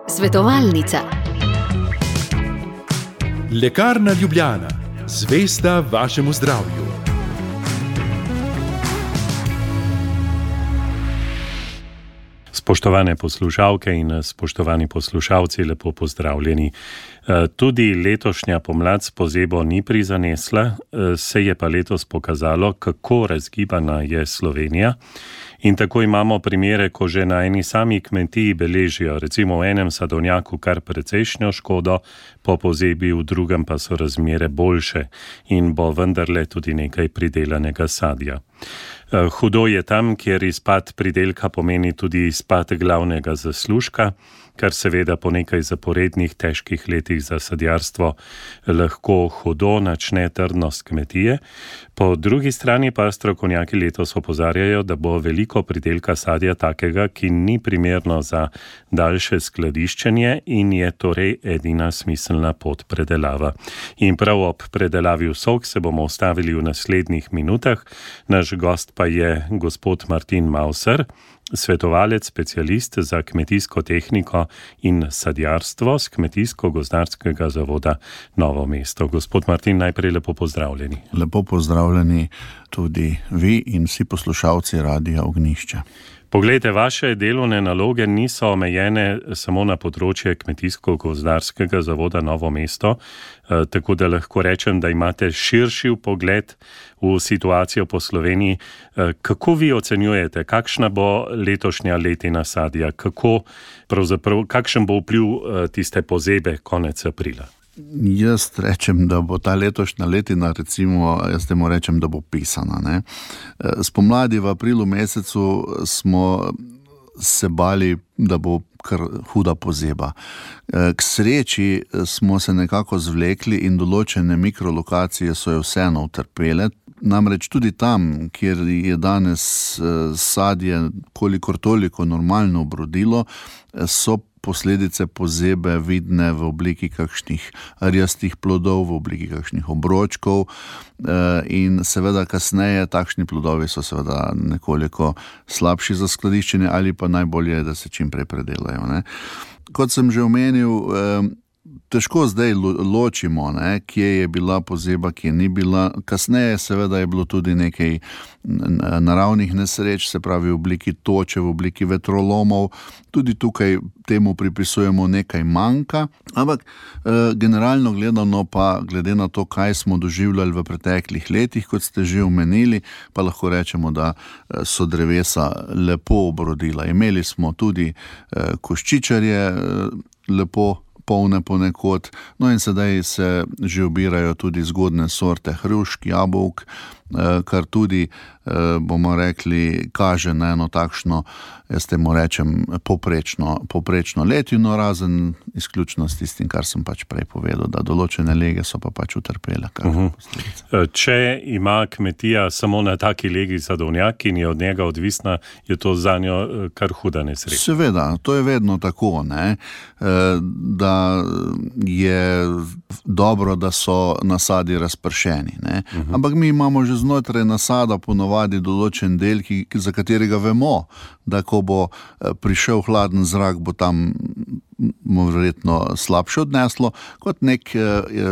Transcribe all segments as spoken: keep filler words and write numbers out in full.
Svetovalnica. Lekarna Ljubljana, zvesta vašemu zdravju. Spoštovane poslušalke in spoštovani poslušalci, lepo pozdravljeni. Tudi letošnja pomlad s pozebo ni prizanesla, se je pa letos pokazalo, kako razgibana je Slovenija. In tako imamo primere, ko že na eni sami kmetiji beležijo, recimo v enem sadovnjaku kar precejšnjo škodo, po pozebi v drugem pa so razmere boljše in bo vendarle tudi nekaj pridelanega sadja. Hudo je tam, kjer izpad pridelka pomeni tudi izpad glavnega zaslužka, kar seveda po nekaj zaporednih težkih letih za sadjarstvo lahko hudo načne trdnost kmetije. Po drugi strani pa strokovnjaki letos opozarjajo, da bo veliko pridelka sadja takega, ki ni primerno za daljše skladiščenje in je torej edina smiselna pot predelava. In prav ob predelavi v sok se bomo ustavili v naslednjih minutah. Naš gost pa je gospod Martin Mauser, svetovalec, specialist za kmetijsko tehniko in sadjarstvo z Kmetijsko-gozdarskega zavoda Novo mesto. Gospod Martin, najprej lepo pozdravljeni. Lepo pozdravljeni tudi vi in vsi poslušalci Radia Ognjišče. Poglejte, vaše delovne naloge niso omejene samo na področje Kmetijsko-gozdarskega zavoda Novo mesto, tako da lahko rečem, da imate širši pogled v situacijo po Sloveniji. Kako vi ocenjujete, kakšna bo letošnja letina sadja? Kako, pravzaprav, kakšen bo vpliv tiste pozebe konec aprila? Jaz rečem, da bo ta letošnja letina, recimo, jaz temu rečem, da bo pisana. Ne? Spomladi v aprilu mesecu smo se bali, da bo kar huda pozeba. K sreči smo se nekako zvlekli in določene mikrolokacije so jo vseeno utrpele. Namreč tudi tam, kjer je danes sadje kolikor toliko normalno obrodilo, so posledice pozebe vidne v obliki kakšnih rjastih plodov, v obliki kakšnih obročkov in seveda kasneje takšni plodovi so seveda nekoliko slabši za skladiščenje ali pa najbolje je, da se čim prej predelajo. Ne? Kot sem že omenil, težko zdaj ločimo, ne, kje je bila pozeba, kje ni bila. Kasneje seveda je bilo tudi nekaj naravnih nesreč, se pravi v obliki toče, v obliki vetrolomov. Tudi tukaj temu pripisujemo nekaj manjka, ampak eh, generalno gledano pa, glede na to, kaj smo doživljali v preteklih letih, kot ste že omenili, pa lahko rečemo, da so drevesa lepo obrodila. Imeli smo tudi eh, koščičarje eh, lepo polne ponekod, no in sedaj se že obirajo tudi zgodne sorte hrušk, jabolk, kar tudi, bomo rekli, kaže na eno takšno, jaz temu rečem, poprečno, poprečno letino, razen izključno s tistim, kar sem pač prej povedal, da določene lege so pa pač utrpele. Uh-huh. Če ima kmetija samo na taki legi sadovnjak in je od njega odvisna, je to zanjo kar huda nesreča. Seveda, to je vedno tako, ne, da je dobro, da so nasadi razpršeni, ne, uh-huh. Ampak mi imamo že znotraj nasada ponovadi določen del, ki, za katerega vemo, da ko bo prišel hladen zrak, bo tam verjetno slabše odneslo, kot nek,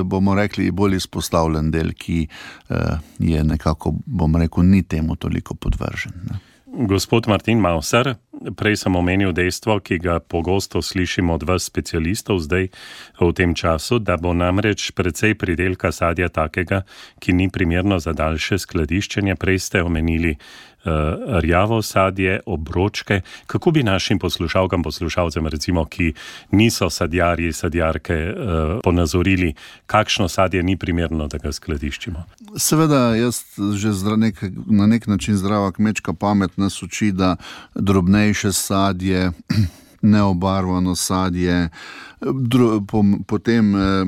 bomo rekli, bolj izpostavljen del, ki je nekako, bom rekel, ni temu toliko podvržen. Ne. Gospod Martin Mauser, prej sem omenil dejstvo, ki ga pogosto slišimo od vas specialistov zdaj v tem času, da bo namreč precej pridelka sadja takega, ki ni primerno za daljše skladiščenje. Prej ste omenili uh, rjavo sadje, obročke. Kako bi našim poslušalkam, poslušalcem, recimo, ki niso sadjarji, sadjarke, uh, ponazorili, kakšno sadje ni primerno, da ga skladiščimo? Seveda, jaz že zdra, nek, na nek način zdrava kmečka pamet nas uči, da drobnejše sadje, neobarvano sadje, dro, po, potem eh,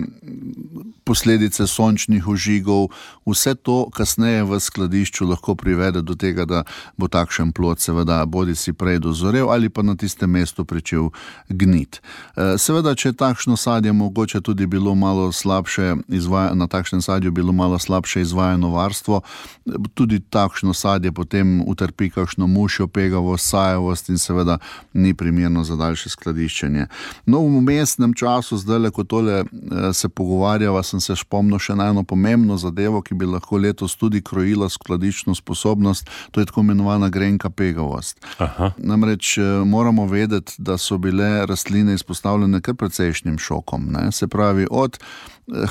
posledice sončnih ožigov, vse to kasneje v skladišču lahko privede do tega, da bo takšen plod seveda bodi si prej dozorel ali pa na tistem mestu pričel gnit. Seveda, če je takšno sadje mogoče tudi bilo malo slabše izvajano, na takšnem sadju bilo malo slabše izvajano varstvo, tudi takšno sadje potem utrpi kakšno mušjo pegavost, sajavost in seveda ni primerno za daljše skladiščenje. No, v vmesnem času, zdajle, ko tole se pogovarjava, sem se spomnil še na eno pomembno zadevo, ki bi lahko letos tudi krojila skladiščno sposobnost, to je tako imenovana grenka pegavost. Aha. Namreč moramo vedeti, da so bile rastline izpostavljene kar precejšnjim šokom, ne? Se pravi, od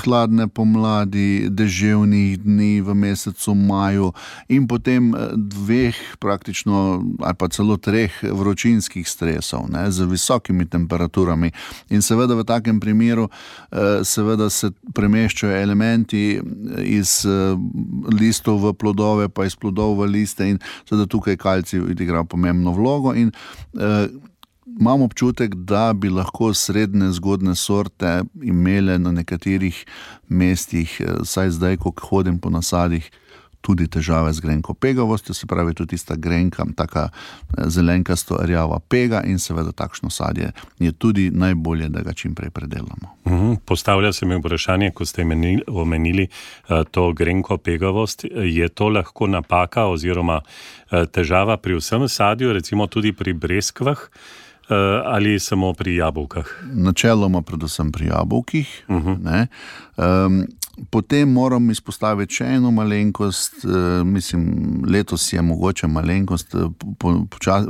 hladne pomladi, deževnih dni v mesecu maju in potem dveh praktično ali pa celo treh vročinskih stresov, ne, z visokimi temperaturami. In seveda v takem primeru seveda se premeščajo elementi iz listov v plodove, pa iz plodov v liste in seveda tukaj kalcij igra pomembno vlogo in imam občutek, da bi lahko srednje zgodne sorte imele na nekaterih mestih, saj zdaj, ko hodim po nasadih, tudi težave z grenko pegavostjo, se pravi tudi tista grenka, taka zelenkasto rjava pega in seveda takšno sadje je tudi najbolje, da ga čim prej predelamo. Uhum, postavlja se mi vprašanje, ko ste omenili to grenko pegavost, je to lahko napaka oziroma težava pri vsem sadju, recimo tudi pri breskvah, ali samo pri jabolkah? Načeloma predvsem pri jabolkih. Uh-huh. Ne. Um, potem moram izpostaviti še eno malenkost, uh, mislim, letos je mogoče malenkost, po, počas,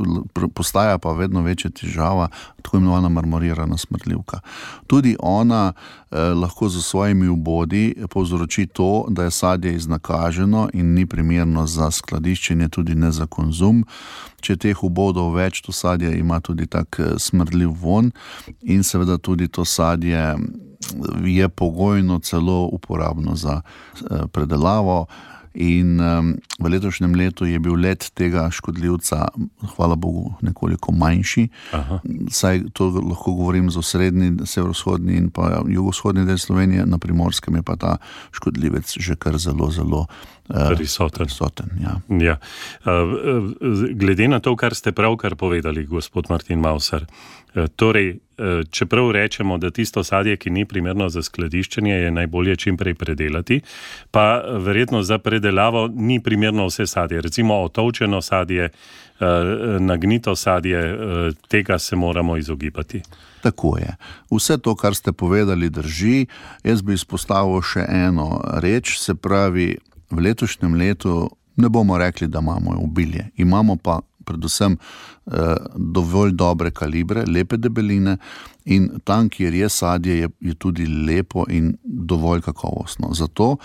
postaja pa vedno večja težava, tako imenovana marmorirana smrdljivka. Tudi ona eh, lahko z svojimi vbodi povzroči to, da je sadje iznakaženo in ni primerno za skladiščenje, tudi ne za konzum. Če teh vbodov več, to sadje ima tudi tak smrdljiv von in seveda tudi to sadje je pogojno celo uporabno za eh, predelavo. In um, v letošnjem letu je bil let tega škodljivca, hvala Bogu, nekoliko manjši. Aha. Saj to lahko govorim za osrednji, severovzhodni in pa jugovzhodni del Slovenije, na Primorskem je pa ta škodljivec že kar zelo, zelo uh, prisoten. prisoten ja. Ja. Uh, glede na to, kar ste pravkar povedali, gospod Martin Mausar, uh, torej, uh, čeprav rečemo, da tisto sadje, ki ni primerno za skladiščenje, je najbolje čim prej predelati, pa verjetno za predelavo ni primerno vse sadje. Recimo otovčeno sadje, nagnito sadje, tega se moramo izogibati. Tako je. Vse to, kar ste povedali, drži. Jaz bi izpostavil še eno reč, se pravi, v letošnjem letu ne bomo rekli, da imamo obilje. Imamo pa predvsem eh, dovolj dobre kalibre, lepe debeline in tam, kjer je sadje, je, je tudi lepo in dovolj kakovostno. Zato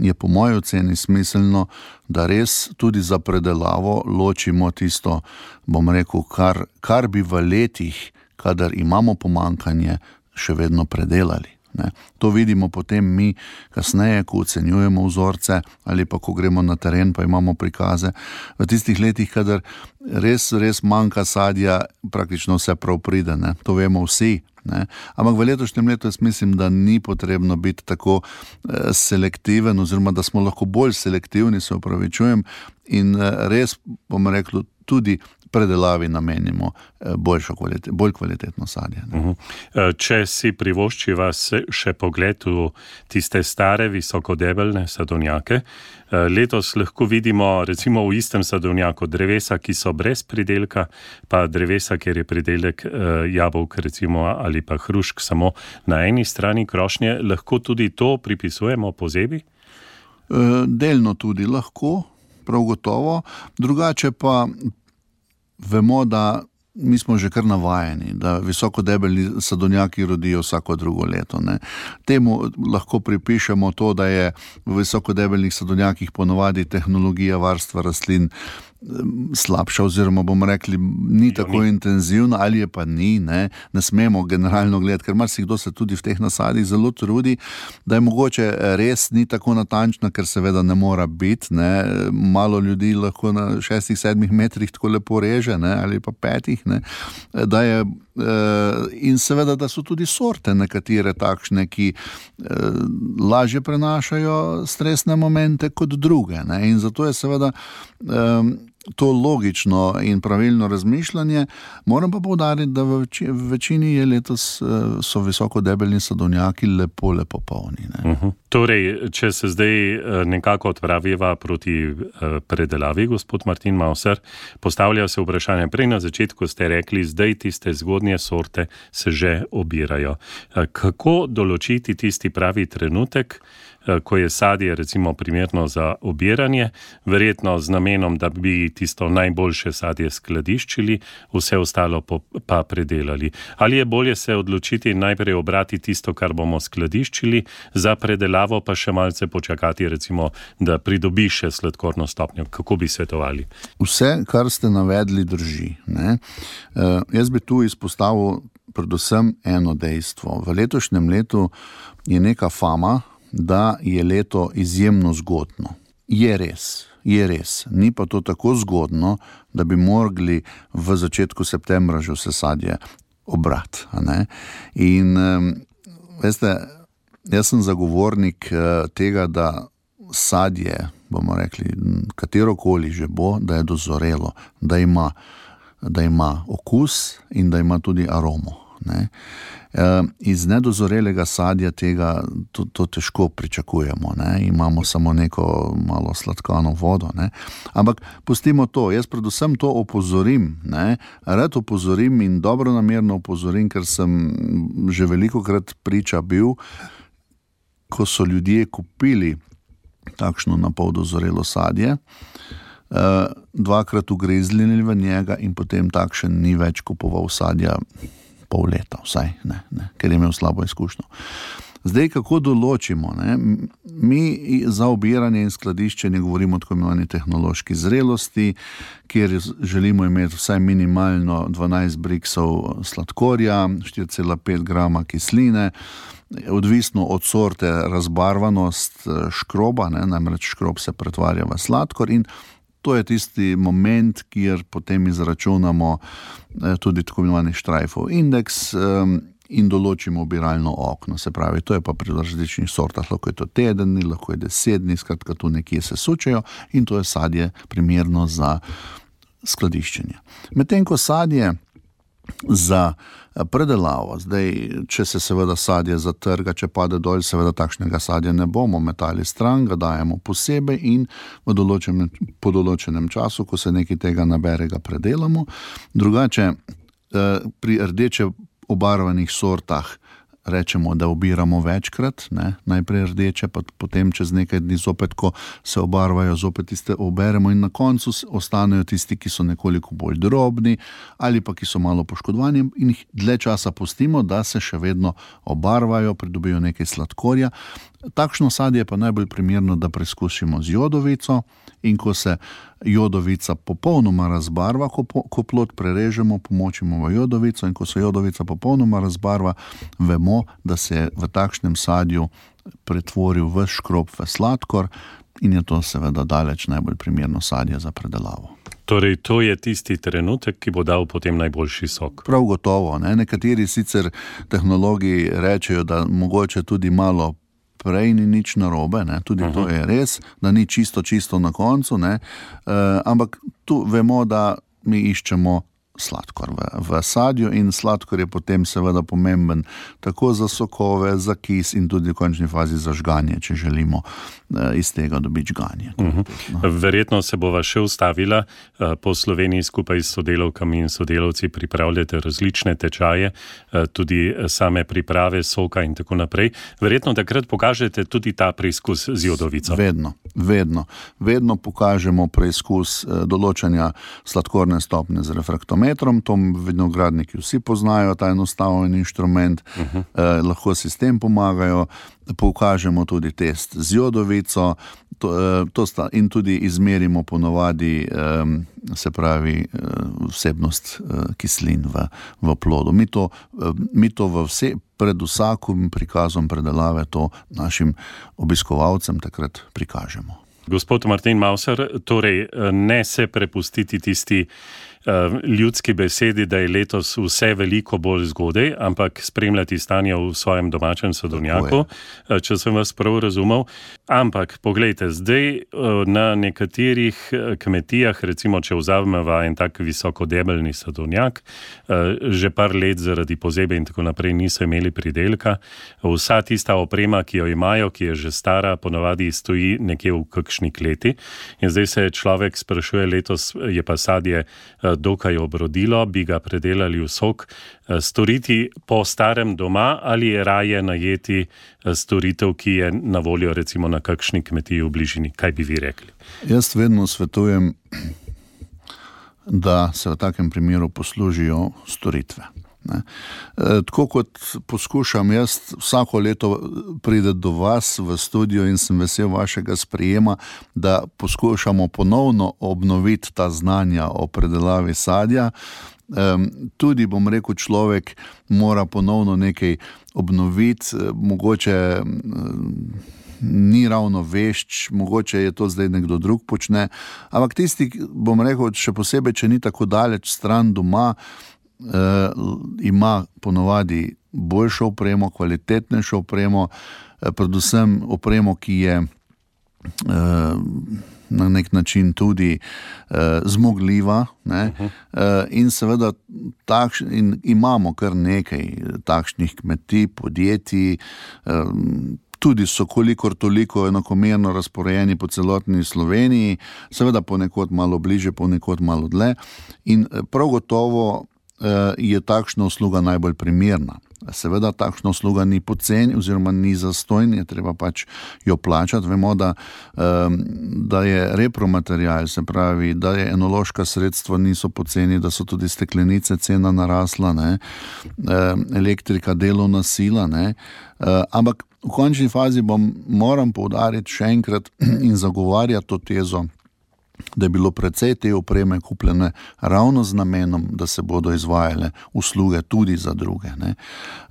je po moji oceni smiselno, da res tudi za predelavo ločimo tisto, bom rekel, kar, kar bi v letih, kadar imamo pomanjkanje, še vedno predelali. Ne. To vidimo potem mi kasneje, ko ocenjujemo vzorce ali pa ko gremo na teren, pa imamo prikaze. V tistih letih, kadar res, res manjka sadja, praktično vse prav pride, ne. To vemo vsi. Ne. Ampak v letošnjem letu jaz mislim, da ni potrebno biti tako eh, selektiven, oziroma da smo lahko bolj selektivni, se opravičujem, in eh, res, bom rekel, tudi predelavi namenimo boljšo kvalitet, bolj kvalitetno sadje. Uh-huh. Če si privoščiva še pogled v tiste stare, visokodebelne sadovnjake, letos lahko vidimo recimo v istem sadovnjaku drevesa, ki so brez pridelka, pa drevesa, kjer je pridelek jabolk recimo ali pa hrušk samo na eni strani krošnje, lahko tudi to pripisujemo pozebi? Delno tudi lahko, prav gotovo, drugače pa vemo, da mi smo že kar navajeni, da visokodebelni sadovnjaki rodijo vsako drugo leto. Ne. Temu lahko pripišemo to, da je v visokodebelnih sadovnjakih ponavadi tehnologija varstva rastlin slabša, oziroma bomo rekli, ni tako ni. intenzivna, ali je pa ni, ne, ne smemo generalno gledati, ker marsikdo se tudi v teh nasadih zelo trudi, da je mogoče res ni tako natančna, ker seveda ne mora biti, ne, malo ljudi lahko na šestih, sedmih metrih tako lepo reže, ne, ali pa petih, ne, da je in seveda, da so tudi sorte nekatere takšne, ki lažje prenašajo stresne momente kot druge, ne? In zato je seveda to logično in pravilno razmišljanje. Moram pa poudariti, da v večini je letos so visoko debelni sadovnjaki lepo, lepo polni. Ne? Uh-huh. Torej, če se zdaj nekako odpraviva proti predelavi, gospod Martin Mauser, postavlja se vprašanje. Prej na začetku ste rekli, zdaj tiste zgodnje sorte se že obirajo. Kako določiti tisti pravi trenutek, ko je sadje recimo primerno za obiranje, verjetno z namenom, da bi tisto najboljše sadje skladiščili, vse ostalo pa predelali. Ali je bolje se odločiti najprej obrati tisto, kar bomo skladiščili, za predelavo pa še malce počakati, recimo, da pridobi še sladkorno stopnjo? Kako bi svetovali? Vse, kar ste navedli, drži. Ne? Uh, jaz bi tu izpostavil predvsem eno dejstvo. V letošnjem letu je neka fama, da je leto izjemno zgodno. Je res, je res. Ni pa to tako zgodno, da bi morali v začetku septembra že vse sadje obrati. Ne? In veste, jaz sem zagovornik tega, da sadje, bomo rekli, katerokoli že bo, da je dozorelo, da ima, da ima okus in da ima tudi aromo. Ne? Iz nedozorelega sadja tega to, to težko pričakujemo, ne? Imamo samo neko malo sladkano vodo, ne? Ampak pustimo to, jaz predvsem to opozorim, ne? Rad opozorim in dobronamerno opozorim, ker sem že velikokrat priča bil, ko so ljudje kupili takšno napol dozorelo sadje, dvakrat ugrizlili v njega in potem takšen ni več kupoval sadja pol leta, vsaj, ne, ne, ker je imel slabo izkušnjo. Zdaj, kako določimo? Ne? Mi za obiranje in skladiščenje govorimo o tako imenovani tehnološki zrelosti, kjer želimo imeti vsaj minimalno dvanajst briksov sladkorja, štiri cela pet grama kisline, odvisno od sorte razbarvanost škroba, ne? Namreč škrob se pretvarja v sladkor in to je tisti moment, kjer potem izračunamo tudi tako imenovani Streifov indeks in določimo obiralno okno. Se pravi, to je pa pri različnih sortah, lahko je to teden, lahko je deset dni, skratka tu nekje se sučejo in to je sadje primerno za skladiščenje. Medtem ko sadje za predelavo, zdaj, če se seveda sadje zatrga, če pade dol, seveda takšnega sadja ne bomo metali stran, ga dajemo posebej in v določenem, po določenem času, ko se nekaj tega nabere, ga predelamo. Drugače, pri rdeče obarvanih sortah rečemo, da obiramo večkrat, ne? Najprej rdeče, pa potem čez nekaj dni zopet, ko se obarvajo, zopet tiste oberemo in na koncu ostanejo tisti, ki so nekoliko bolj drobni ali pa ki so malo poškodovani in jih dlje časa pustimo, da se še vedno obarvajo, pridobijo nekaj sladkorja. Takšno sadje je pa najbolj primerno, da preizkusimo z jodovico in ko se jodovica popolnoma razbarva, ko, ko plod prerežemo, pomočimo v jodovico in ko se jodovica popolnoma razbarva, vemo, da se je v takšnem sadju pretvoril v škrob v sladkor in je to seveda daleč najbolj primerno sadje za predelavo. Torej, to je tisti trenutek, ki bo dal potem najboljši sok. Prav gotovo, ne? Nekateri sicer tehnologi rečejo, da mogoče tudi malo prej ni nič narobe, ne? Tudi uh-huh. To je res, da ni čisto, čisto na koncu, ne? E, ampak tu vemo, da mi iščemo sladkor v, v sadju in sladkor je potem seveda pomemben tako za sokove, za kis in tudi v končni fazi za žganje, če želimo iz tega dobiti žganje. Uh-huh. Verjetno se bova še ustavila po Sloveniji skupaj s sodelavkami in sodelavci pripravljate različne tečaje, tudi same priprave soka in tako naprej. Verjetno takrat pokažete tudi ta preizkus z jodovico. Vedno, vedno. Vedno pokažemo preizkus določanja sladkorne stopnje z refraktometrom. To vinogradniki vsi poznajo, ta enostaven inštrument, uh-huh. eh, lahko si s tem pomagajo. Pokažemo tudi test z jodovico to, to sta, in tudi izmerimo ponovadi um, se pravi vsebnost uh, kislin v, v plodu. Mi to, uh, mi to v vse, pred vsakim prikazom predelave to našim obiskovalcem takrat prikažemo. Gospod Martin Mauser, torej ne se prepustiti tisti ljudski besedi, da je letos vse veliko bolj zgodaj, ampak spremljati stanje v svojem domačem sadovnjaku, če sem vas prav razumel. Ampak, poglejte, zdaj na nekaterih kmetijah, recimo, če vzameva en tak visokodebeljni sadovnjak, že par let zaradi pozebe in tako naprej niso imeli pridelka. Vsa tista oprema, ki jo imajo, ki je že stara, ponavadi stoji nekje v kakšni kleti. In zdaj se človek sprašuje, letos je pa sadje dokaj obrodilo, bi ga predelali v sok, storiti po starem doma ali je raje najeti storitev, ki je na voljo recimo na kakšni kmetiji v bližini. Kaj bi vi rekli? Jaz vedno svetujem, da se v takem primeru poslužijo storitve. Ne. E, tako kot poskušam jaz, vsako leto pride do vas v studio in sem vesel vašega sprejema, da poskušamo ponovno obnoviti ta znanja o predelavi sadja. E, tudi, bom rekel, človek mora ponovno nekaj obnoviti, mogoče ni ravno vešč, mogoče je to zdaj nekdo drug počne, ampak tisti, bom rekel, še posebej, če ni tako daleč stran doma, Uh, ima ponovadi boljšo opremo, kvalitetnejšo opremo, uh, predvsem opremo, ki je uh, na nek način tudi uh, zmogljiva, ne? Uh-huh. uh, in seveda takš, in imamo kar nekaj takšnih kmetij, podjetij, um, tudi so kolikor toliko enakomerno razporejeni po celotni Sloveniji, seveda ponekod malo bliže, ponekod malo dlje in prav gotovo je takšna usluga najbolj primerna. Seveda takšna usluga ni poceni oziroma ni zastonj, je treba pač jo plačati. Vemo, da, da je repromaterial, se pravi, da je enološka sredstva niso poceni, da so tudi steklenice cena narasla, ne? Elektrika, delovna sila, ne? Ampak v končni fazi bom, moram poudariti še enkrat in zagovarjati to tezo, da je bilo precej te opreme kupljene ravno z namenom, da se bodo izvajale usluge tudi za druge. Ne.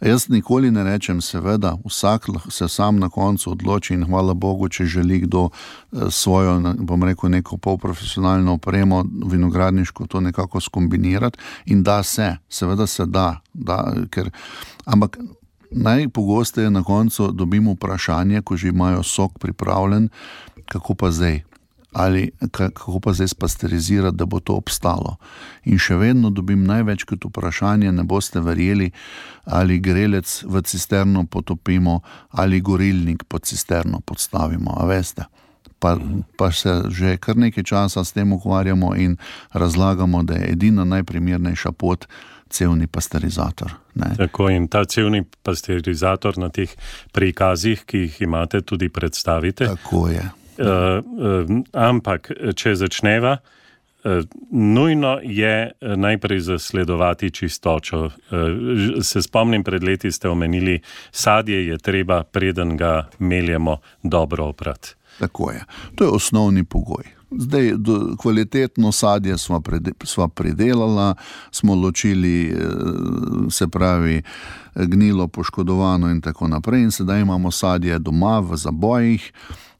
Jaz nikoli ne rečem, seveda, vsak se sam na koncu odloči in hvala Bogu, če želi kdo svojo, bom rekel, neko polprofesionalno opremo vinogradniško to nekako skombinirati in da se, seveda se da, da ker, ampak najpogosteje na koncu dobimo vprašanje, ko že imajo sok pripravljen, kako pa zdaj? Ali kako pa zdaj spasterizirati, da bo to obstalo. In še vedno dobim največkrat vprašanje, ne boste verjeli, ali grelec v cisterno potopimo, ali gorilnik pod cisterno podstavimo, a veste. Pa, pa se že kar nekaj časa s tem ukvarjamo in razlagamo, da je edina najprimernejša pot cevni pasterizator. Ne. Tako in ta cevni pasterizator na teh prikazih, ki jih imate, tudi predstavite. Tako je. Uh, uh, ampak, če začneva, uh, nujno je najprej zasledovati čistočo. Uh, se spomnim, pred leti ste omenili, sadje je treba, preden ga meljemo, dobro oprati. Tako je. To je osnovni pogoj. Zdaj, do, kvalitetno sadje sva, prede, sva pridelala, smo ločili, se pravi, gnilo, poškodovano in tako naprej in sedaj imamo sadje doma v zabojih.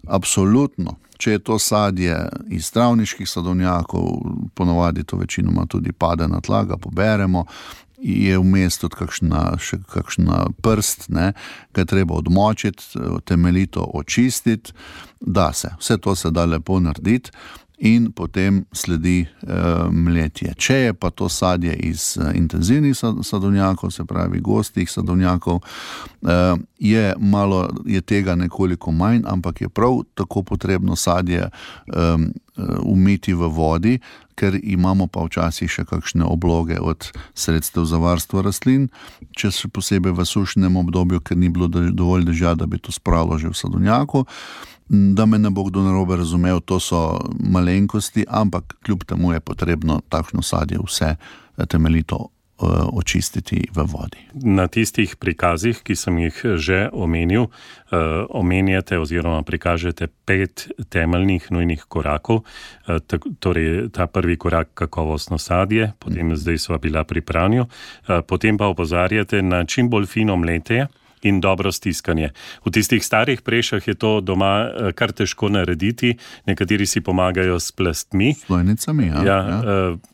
Absolutno, če je to sadje iz travniških sadovnjakov, ponovadi to večinoma tudi pade na tla, ga poberemo, je vmes tudi kakšna, še kakšna prst, ne, ga treba odmočiti, temeljito očistiti, da se, vse to se da lepo narediti in potem sledi e, mletje. Če je pa to sadje iz e, intenzivnih sadovnjakov, se pravi gostih sadovnjakov, e, je malo, je tega nekoliko manj, ampak je prav tako potrebno sadje e, umiti v vodi, ker imamo pa včasih še kakšne obloge od sredstev za varstvo rastlin, če še posebej v sušnem obdobju, ker ni bilo dovolj dežja, da bi to spralo že v sadovnjaku. Da me ne bo kdo narobe razumel, to so malenkosti, ampak kljub temu je potrebno takšno sadje vse temeljito očistiti v vodi. Na tistih prikazih, ki sem jih že omenil, omenjate oziroma prikažete pet temeljnih nujnih korakov. Torej, ta prvi korak kakovostno sadje, potem zdaj sva bila pri pranju, potem pa opozarjate na čim bolj fino mletje in dobro stiskanje. V tistih starih prešah je to doma kar težko narediti, nekateri si pomagajo s plastmi. Slojnicami, ja. ja, ja.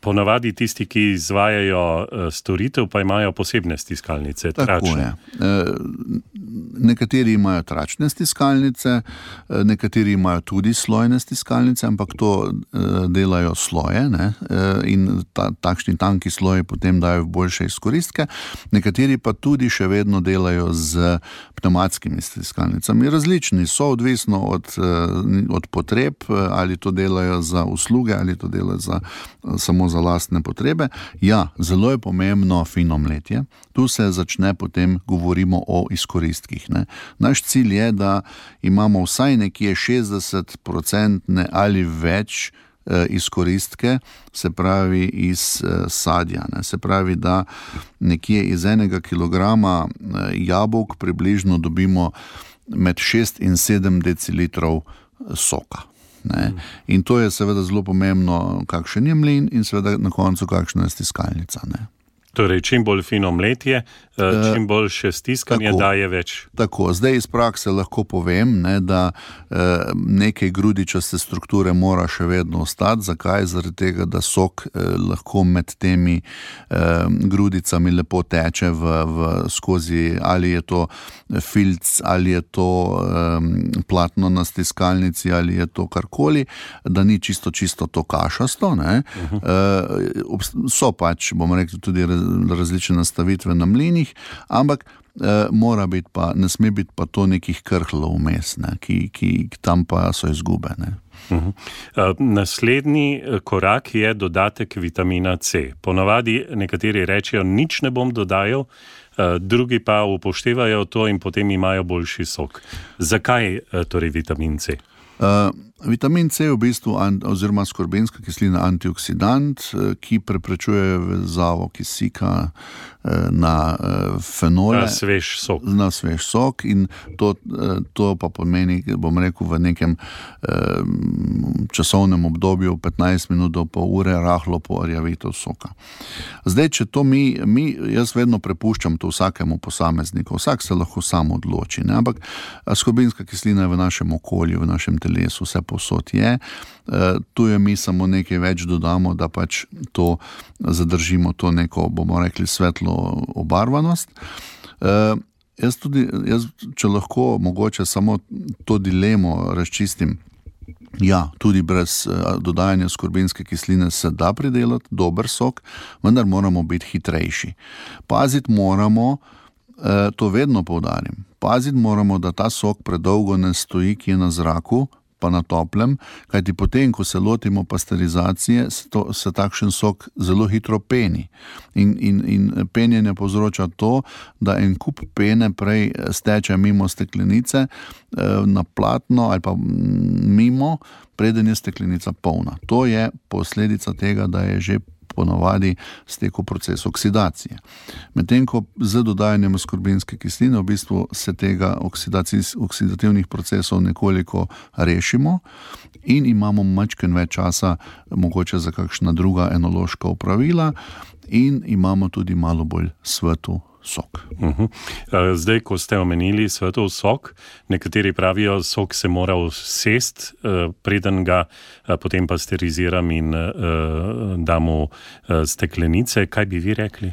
Ponavadi tisti, ki izvajajo storitev, pa imajo posebne stiskalnice, tračne. Nekateri imajo tračne stiskalnice, nekateri imajo tudi slojne stiskalnice, ampak to delajo sloje, ne? In ta, takšni tanki sloji potem dajo boljše izkoristke. Nekateri pa tudi še vedno delajo z pneumatskimi stiskalnicami. Različni so, odvisno od, od potreb, ali to delajo za usluge, ali to delajo za, samo za lastne potrebe. Ja, zelo je pomembno fino mletje. Tu se začne potem govorimo o izkoristkih. Ne. Naš cilj je, da imamo vsaj nekje šestdeset procentne ali več izkoristke, se pravi iz sadja. Ne. Se pravi, da nekje iz enega kilograma jabolk približno dobimo med šest in sedem decilitrov soka. Ne. In to je seveda zelo pomembno, kakšen je mlin in seveda na koncu kakšna je stiskalnica. Ne. Torej, čim bolj fino mletje, čim bolj še stiskanje tako, daje več. Tako, zdaj iz prakse lahko povem, ne, da eh, nekaj grudičaste strukture mora še vedno ostati. Zakaj? Zaradi tega, da sok eh, lahko med temi eh, grudicami lepo teče v, v skozi, ali je to filc, ali je to eh, platno na stiskalnici, ali je to karkoli, da ni čisto, čisto to kašasto. Ne. Uh-huh. Eh, so pač, bomo rekli, tudi različne nastavitve na mlinih, ampak eh, mora biti pa, ne sme biti pa to nekih krhlov vmes, ne, ki, ki tam pa so izgube. Ne. Uh-huh. Uh, naslednji korak je dodatek vitamina C. Ponavadi nekateri rečejo, nič ne bom dodajal, uh, drugi pa upoštevajo to in potem imajo boljši sok. Zakaj uh, torej vitamin C? Uh, vitamin C je v bistvu, oziroma skorbinska kislina, antioksidant, ki preprečuje vezavo kisika na fenole. Na svež sok. Na svež sok in to, to pa pomeni, bom rekel, v nekem časovnem obdobju petnajst minut do pol ure rahlo porjavitev soka. Zdaj, če to mi, mi, jaz vedno prepuščam to vsakemu posamezniku, vsak se lahko sam odloči, ne? Ampak skorbinska kislina je v našem okolju, v našem telesu, vse povsod je. Tu je mi samo nekaj več dodamo, da pač to zadržimo, to neko, bomo rekli, svetlo obarvanost. Jaz tudi, jaz, če lahko mogoče samo to dilemo razčistim, ja, tudi brez dodajanja skorbinske kisline se da pridelati dober sok, vendar moramo biti hitrejši. Paziti moramo, to vedno poudarim, paziti moramo, da ta sok predolgo ne stoji, ki je na zraku, pa na toplem, kajti potem, ko se lotimo pasterizacije, se, to, se takšen sok zelo hitro peni. In, in, in penjenje povzroča to, da en kup pene prej steče mimo steklenice na platno ali pa mimo, preden je steklenica polna. To je posledica tega, da je že ponavadi stekel proces oksidacije. Medtem ko z dodajanjem skorbinske kisline v bistvu se tega oksidativnih procesov nekoliko rešimo in imamo majčkeno več časa mogoče za kakšna druga enološka opravila in imamo tudi malo bolj svetu sok. Uh-huh. Zdaj, ko ste omenili svetov sok, nekateri pravijo, sok se mora sest, preden ga potem pasteriziram in damo steklenice. Kaj bi vi rekli?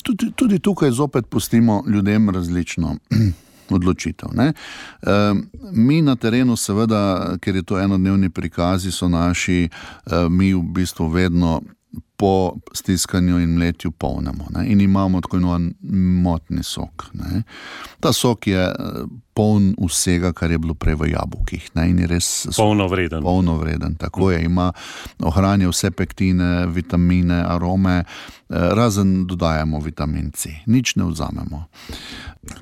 Tudi, tudi tukaj zopet pustimo ljudem različno odločitev. Ne? Mi na terenu seveda, ker je to enodnevni prikazi, so naši, mi v bistvu vedno po stiskanju in mletju polnemo, ne? In imamo tako imenovan motni sok. Ne? Ta sok je poln vsega, kar je bilo prej v jabolkih. Ne? In je res polnovreden. Polnovreden, tako je. Ima, ohranja vse pektine, vitamine, arome, razen dodajamo vitamin C. Nič ne vzamemo.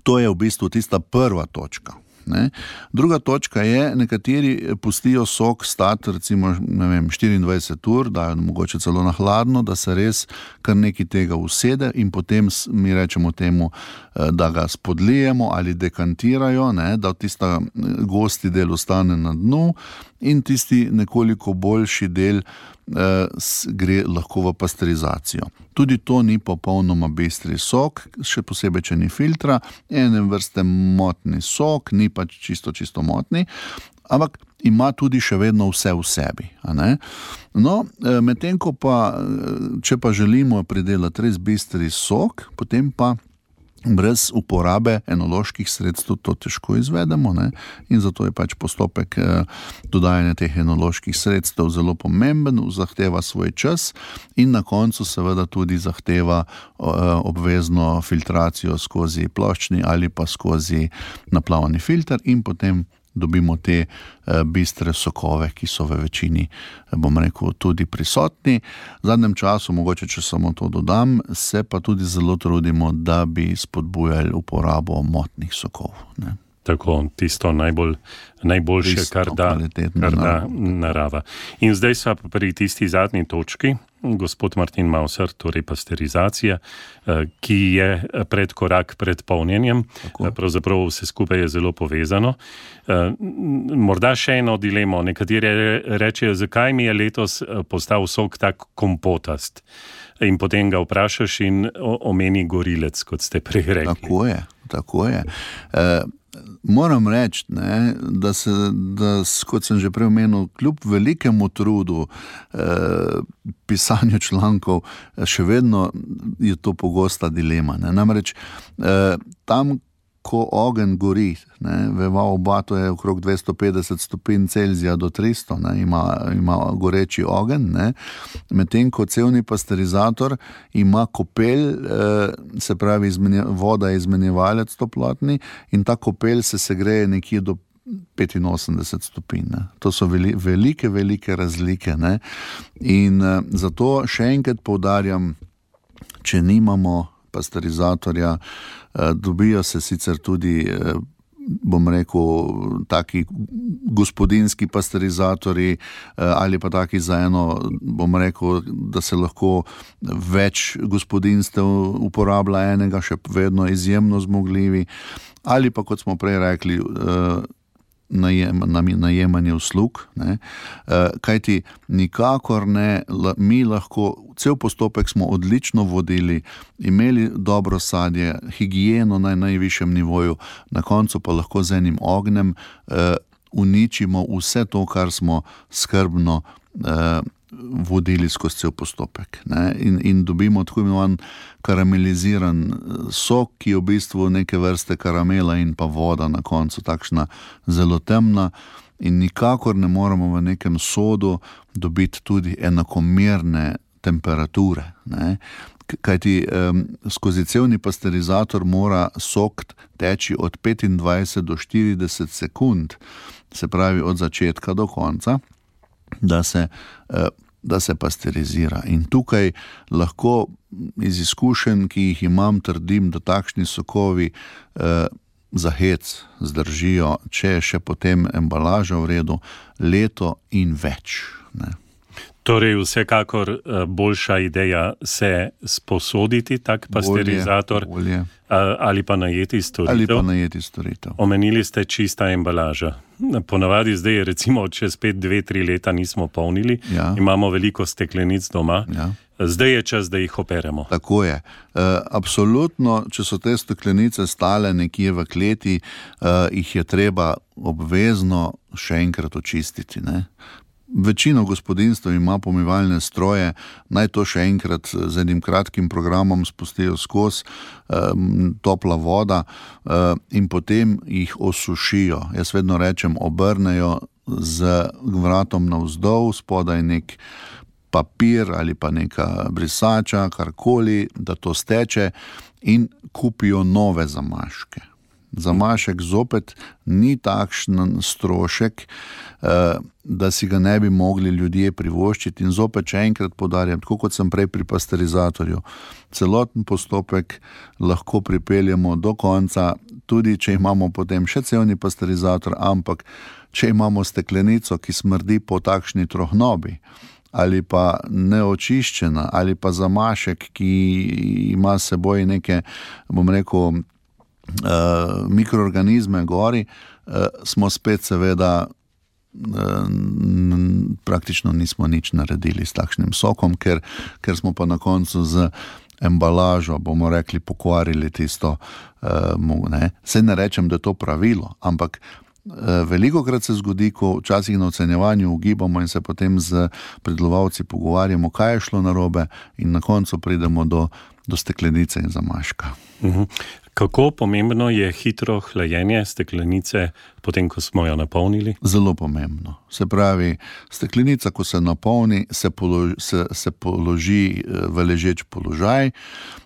To je v bistvu tista prva točka. Ne. Druga točka je, nekateri pustijo sok stati recimo ne vem, štiriindvajset ur, dajo mogoče celo na hladno, da se res kar nekaj tega usede in potem mi rečemo temu, da ga spodlijemo ali dekantirajo, ne, da tista gosti del ostane na dnu in tisti nekoliko boljši del gre lahko v pasterizacijo. Tudi to ni popolnoma bistri sok, še posebej, če ni filtra, ene vrste motni sok, ni pa čisto, čisto motni, ampak ima tudi še vedno vse v sebi. A ne? No, medtem ko pa, če pa želimo pridelati res bistri sok, potem pa brez uporabe enoloških sredstev to težko izvedemo, ne? In zato je pač postopek eh, dodajanja teh enoloških sredstev zelo pomemben, zahteva svoj čas in na koncu seveda tudi zahteva eh, obvezno filtracijo skozi ploščni ali pa skozi naplavni filter in potem dobimo te eh, bistre sokove, ki so v večini, bom rekel, tudi prisotni. V zadnjem času, mogoče če samo to dodam, se pa tudi zelo trudimo, da bi spodbujali uporabo motnih sokov. Ne? Tako, tisto najbolj, najboljše, Tisto kar da, kvalitetno kar da narava. narava. In zdaj sva pri tisti zadnji točki, gospod Martin Mauser, torej pasterizacija, ki je predkorak pred polnjenjem. Tako. Pravzaprav vse skupaj je zelo povezano. Morda še eno dilemo. Nekateri rečejo, zakaj mi je letos postal sok tak kompotast. In potem ga vprašaš in omeni gorilec, kot ste prej rekli. Tako je, tako je. E, moram reči, ne, da se, da, kot sem že prej omenil, kljub velikemu trudu e, pisanju člankov, še vedno je to pogosta dilema. Ne. Namreč e, tam, ko ogenj gori, ne, veva oba, to je okrog dvesto petdeset stopinj Celzija do tristo, ne, ima, ima goreči ogenj, ne, medtem ko cevni pasterizator ima kopel, eh, se pravi izmenje, voda je izmenjevalec toplotni in ta kopel se segreje nekje do petinosemdeset stopinj. Ne. To so veli, velike, velike razlike. Ne. In eh, zato še enkrat poudarjam, če nimamo pasterizatorja, dobijo se sicer tudi, bom rekel, taki gospodinski pasterizatorji ali pa taki za eno, bom rekel, da se lahko več gospodinstev uporablja enega, še vedno izjemno zmogljivi, ali pa, kot smo prej rekli, najem, najemanje uslug, ne, kajti nikakor ne, mi lahko, cel postopek smo odlično vodili, imeli dobro sadje, higieno na najvišjem nivoju, na koncu pa lahko z enim ognjem eh, uničimo vse to, kar smo skrbno eh, vodili skozi cel postopek. Ne? In, in dobimo tako imenovan karameliziran sok, ki je v bistvu neke vrste karamela in pa voda na koncu, takšna zelo temna in nikakor ne moremo v nekem sodu dobiti tudi enakomerne temperature. Ne? Kajti um, skozi cevni pasterizator mora sok teči od petindvajset do štirideset sekund, se pravi od začetka do konca, da se, da se pasterizira. In tukaj lahko iz izkušenj, ki jih imam, trdim, da takšni sokovi eh, za hec zdržijo, če je še potem embalaža v redu, leto in več. Ne. Torej, vsekakor boljša ideja se sposoditi tak pasterizator bolje, bolje. ali pa najeti storitev. Ali pa najeti storitev. Omenili ste čista embalaža. Ponavadi zdaj, recimo, če spet dve, tri leta nismo polnili, ja. Imamo veliko steklenic doma, ja. Zdaj je čas, da jih operemo. Tako je. E, absolutno, če so te steklenice stale nekje v kleti, e, jih je treba obvezno še enkrat očistiti, ne? Večino gospodinstv ima pomivalne stroje, naj to še enkrat z enim kratkim programom spustijo skozi um, topla voda um, in potem jih osušijo. Jaz vedno rečem, obrnejo z vratom navzdol, spodaj nek papir ali pa neka brisača, karkoli, da to steče in kupijo nove zamaške. Zamašek zopet ni takšen strošek, da si ga ne bi mogli ljudje privoščiti in zopet še enkrat poudarjam, tako kot sem prej pri pasterizatorju, celoten postopek lahko pripeljemo do konca, tudi če imamo potem še cevni pasterizator, ampak če imamo steklenico, ki smrdi po takšni trohnobi, ali pa neočiščena, ali pa zamašek, ki ima s seboj neke, bom rekel, Uh, mikroorganizme gori, uh, smo spet seveda praktično nismo nič naredili s takšnim sokom, ker, ker smo pa na koncu z embalažo, bomo rekli, pokvarili tisto, ne. Saj ne rečem, da je to pravilo, ampak velikokrat se zgodi, ko včasih na ocenjevanju ugibamo in se potem z predelovalci pogovarjamo, kaj je šlo narobe, in na koncu pridemo do, do steklenice in zamaška. Mhm. Kako pomembno je hitro hlajenje steklenice, potem ko smo jo napolnili? Zelo pomembno. Se pravi, steklenica, ko se napolni, se položi, se, se položi v ležeč položaj,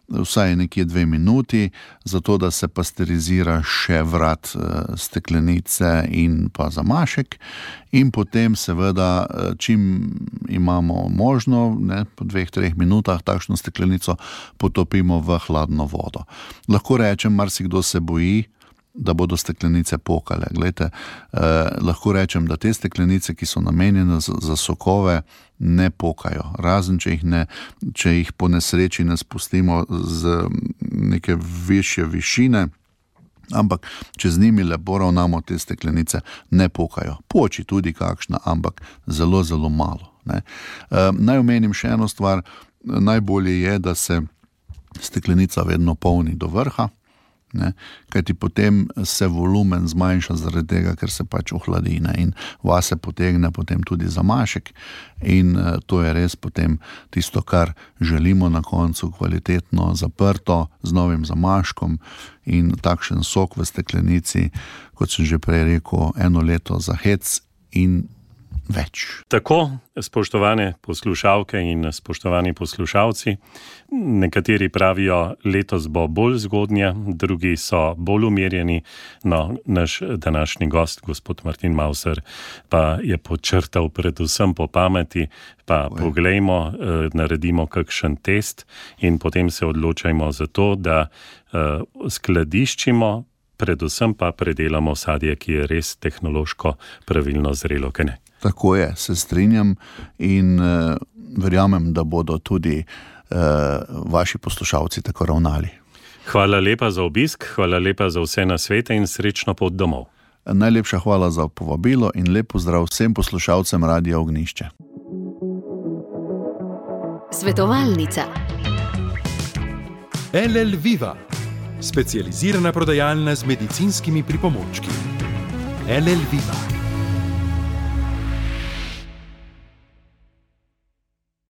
vsaj nekje dve minuti, zato da se pasterizira še vrat steklenice in pa zamašek, in potem seveda, čim imamo možno, ne, po dveh, treh minutah takšno steklenico potopimo v hladno vodo. Lahko rečem, marsikdo se boji, da bodo steklenice pokale. Glejte, eh, lahko rečem, da te steklenice, ki so namenjene za, za sokove, ne pokajo. Razen, če jih, ne, če jih po nesreči ne spustimo z neke višje višine, ampak če z njimi lepo ravnamo, te steklenice ne pokajo. Poči tudi kakšna, ampak zelo, zelo malo. Ne. Eh, naj omenim še eno stvar. Najbolje je, da se steklenica vedno polni do vrha, ne, kajti potem se volumen zmanjša zaradi tega, ker se pač ohladi, ne, in vase potegne potem tudi zamašek, in uh, to je res potem tisto, kar želimo na koncu, kvalitetno zaprto z novim zamaškom, in takšen sok v steklenici, kot sem že prej rekel, eno leto za hec in več. Tako, spoštovane poslušalke in spoštovani poslušalci, nekateri pravijo, letos bo bolj zgodnja, drugi so bolj umirjeni, no, naš današnji gost, gospod Martin Mauser, pa je počrtal predvsem po pameti, pa Oj. poglejmo, naredimo kakšen test in potem se odločajmo za to, da uh, skladiščimo, predvsem pa predelamo sadje, ki je res tehnološko pravilno zrelo, kaj ne? Tako je, se strinjam, in uh, verjamem, da bodo tudi uh, vaši poslušalci tako ravnali. Hvala lepa za obisk, hvala lepa za vse nasvete in srečno pot domov. Najlepša hvala za povabilo in lep pozdrav vsem poslušalcem Radia Ognjišče. Svetovalnica. L L Viva, specializirana prodajalna z medicinskimi pripomočki. L L Viva.